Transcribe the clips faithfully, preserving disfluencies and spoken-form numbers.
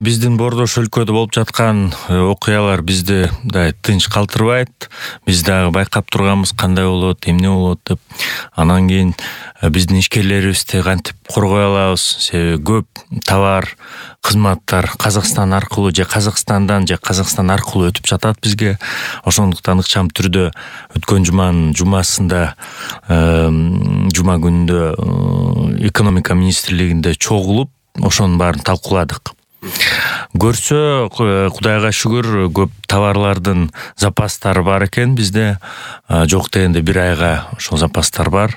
Биздин Бордош өлкөдө болуп жаткан окуялар бизди да тынч калтырбайт. Биз дагы байкап турганбыз кандай болот, эмне болот деп. Анан кийин биздин ишкерлерибизди кантип коргой алабыз? Себеби көп товар, кызматтар Казакстан аркылуу же Казакстандан же Казакстан аркылуу өтүп жатат бизге. Ошондуктан ыкчам түрдө өткөн жуманын жумасында жума күнүндө экономика министрлигинде чогулуп ошонун баарын талкууладык. Көрсө, Кудайга шүгүр, көп товарлардын запастары бар экен бизде. Жок дегенде бир айга ошол запастар бар.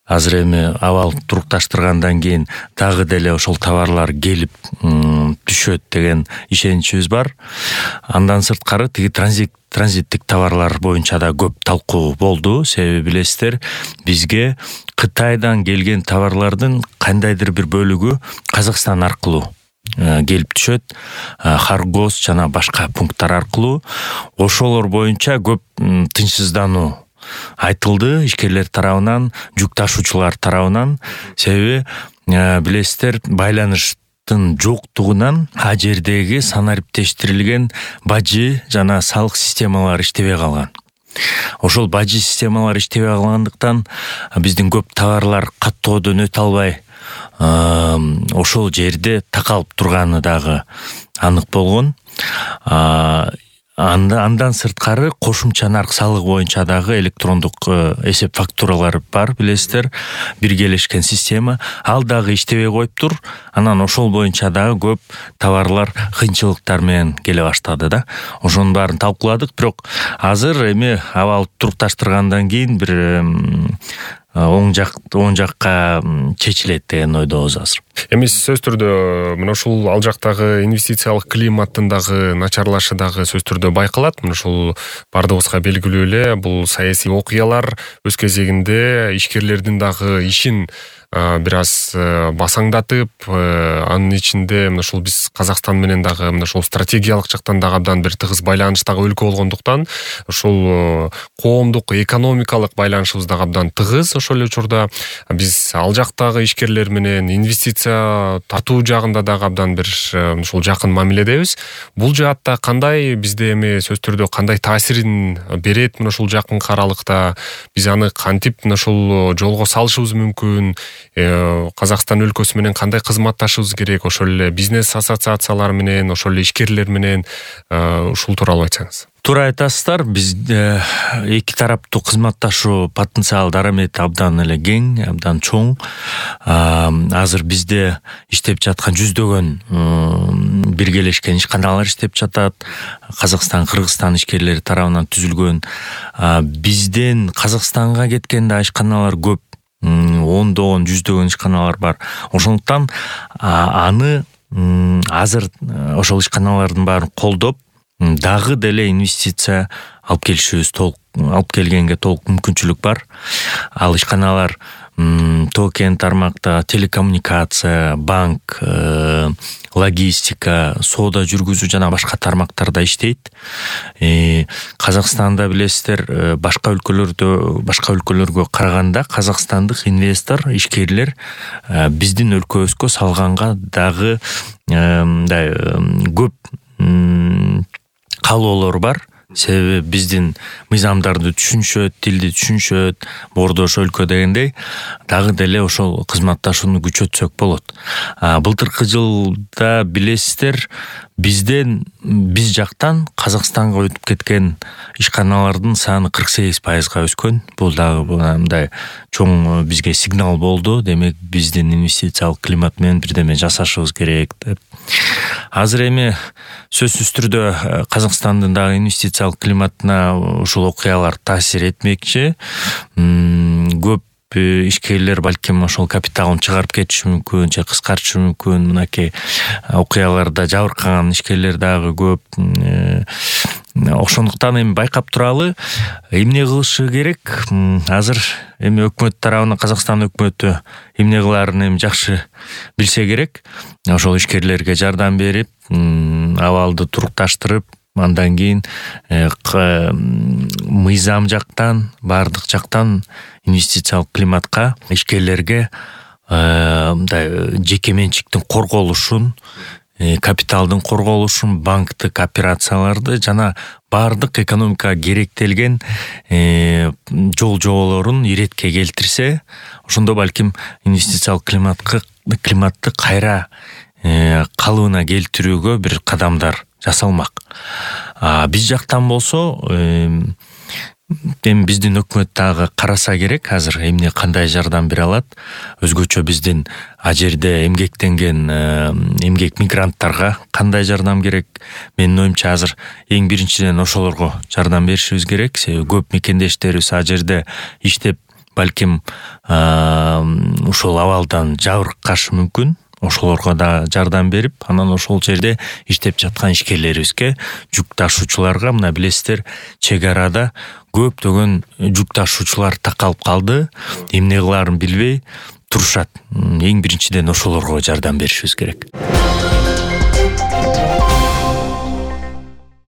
Азыр эми абал турукташтыргандан кийин дагы деле ошол товарлар келип түшөт деген ишеничибиз бар. Андан сырткары тиги транзит транзиттик товарлар боюнча да көп талкуу болду. Себеби билесиздер, бизге Кытайдан келген товарлардын кандайдыр бир бөлүгү Казакстан аркылуу келип түшөт, Харгос жана башка пункттар аркылуу. Ошолор боюнча көп тынчсыздануу айтылды ишкерлер тарабынан, жүк ташуучулар тарабынан. Себеби билесиздер, байланыштын жоктугунан а жердеги санариптештирилген бажы жана салык системалары иштебей калган. Ошол бажы системалары иштебей калгандыктан биздин көп товарлар каттоодон өтө албай ошол жерде такалып турганы дагы анык болгон. Андан сырткары кошумча нарк салыгы боюнча дагы электрондук эсеп фактуралар бар, билесиздер, биргелешкен система. Ал дагы иштебей коюптур. Анан ошол боюнча дагы көп товарлар кыйынчылыктар менен келе баштады да. Ошонун баарын талкууладык, бирок азыр эми абал турукташтыргандан кийин бир оң жак оң жакка чечилет деген ойдобуз азыр. Эми сөз түрдө мына ушул ал жактагы инвестициялык климаттын дагы начарлашы дагы сөз түрдө байкалат. Мына ушул бардыгыбызга белгилүү эле, бул саясий окуялар өз кезегинде ишкерлердин дагы ишин бир аз басаңдатып, анын ичинде мына ушул биз Казакстан менен дагы мына ушул стратегиялык жактан дагы абдан бир тыгыз байланыштагы өлкө болгондуктан ушул коомдук экономикалык байланышыбыз дагы абдан тыгыз. Ошол эле учурда биз ал жактагы ишкерлер менен инвестиция тартуу жагында дагы абдан бир ушул жакын мамиледебиз. Бул жаатта кандай бизде эми сөз түрдө кандай таасирин берет мына ушул жакынкы аралыкта? Биз аны кантип мына ушул жолго салышыбыз мүмкүн? Казакстан өлкөсү менен кандай кызматташыбыз керек? Ошол эле бизнес ассоциациялар менен, ошол эле ишкерлер менен ушул тууралуу айтсаңыз. Туура айтасыздар. Бизде эки тараптуу кызматташуу потенциал дарамети абдан эле кең, абдан чоң. Азыр бизде иштеп жаткан жүздөгөн биргелешкен ишканалар иштеп жатат. Казакстан, Кыргызстан ишкерлери тарабынан түзүлгөн. Бизден Казакстанга кеткен да ишканалар көп. Ондогон, жүздөгөн ишканалар бар. Ошондуктан аны азыр ошол ишканалардын баарын колдоп, дагы деле инвестиция алып келишибиз толук алып келгенге толук мүмкүнчүлүк бар. Ал ишканалар токен тармакта телекоммуникация, банк, логистика, соода жүргүзүү жана башка тармактарда иштейт. Казакстанда билесиздер, башка өлкөлөрдө, башка өлкөлөргө караганда казакстандык инвестор, ишкерлер биздин өлкөбүзгө салганга дагы көп каалоолор бар. Себеби биздин мыйзамдарды түшүнүшөт, тилди түшүнүшөт, Бордош өлкө дегендей, дагы деле ошол кызматташууну күчөтсөк болот. Былтыркы жылда билесиздер, бизден биз жактан Казакстанга өтүп кеткен ишканалардын саны кырк сегиз пайызга өскөн. Бул дагы мындай чоң бизге сигнал болду. Демек, биздин инвестициялык климат менен бирдеме жасашыбыз керек деп. Азыр эми сөзсүз түрдө Казакстандын дагы инвестициялык климатына ушул окуялар таасир этмекчи. Көп ишкерлер балким ошол капиталын чыгарып кетиши мүмкүн, же кыскартышы мүмкүн. Мынакей окуяларда жабыркаган ишкерлер дагы көп. Ошондуктан эми байкап туралы, эмне кылышы керек? Азыр эми өкмөт тарабынан, Казакстан өкмөтү эмне кылаарын эми жакшы билсе керек. Ошол ишкерлерге жардам берип, абалды турукташтырып, андан кийин мыйзам жактан, бардык жактан инвестициялык климатка, ишкерлерге мындай жеке менчиктин корголушун капиталдын корголушун, банктык операцияларды жана баардык экономикага керектелген жол жоболорун иретке келтирсе, ошондо балким инвестициялык климатка климатты кайра калыбына келтирүүгө бир кадамдар жасалмак. Биз жактан болсо, эми биздин өкмөт дагы караса керек, азыр эмне кандай жардам бере алат. Өзгөчө биздин а жерде эмгектенген эмгек мигранттарга кандай жардам керек? Менин оюмча азыр эң биринчиден ошолорго жардам беришибиз керек. Себеби көп мекендештерибиз а жерде иштеп, балким ушул абалдан жабыркашы мүмкүн. Ошолорго да жардам берип, анан ошол жерде иштеп жаткан ишкерлерибизге, жүк ташуучуларга, мына билесиздер, чек арада көптөгөн жүк ташуучулар такалып калды, эмне кылаарын билбей турушат. Эң биринчиден ошолорго жардам беришибиз керек.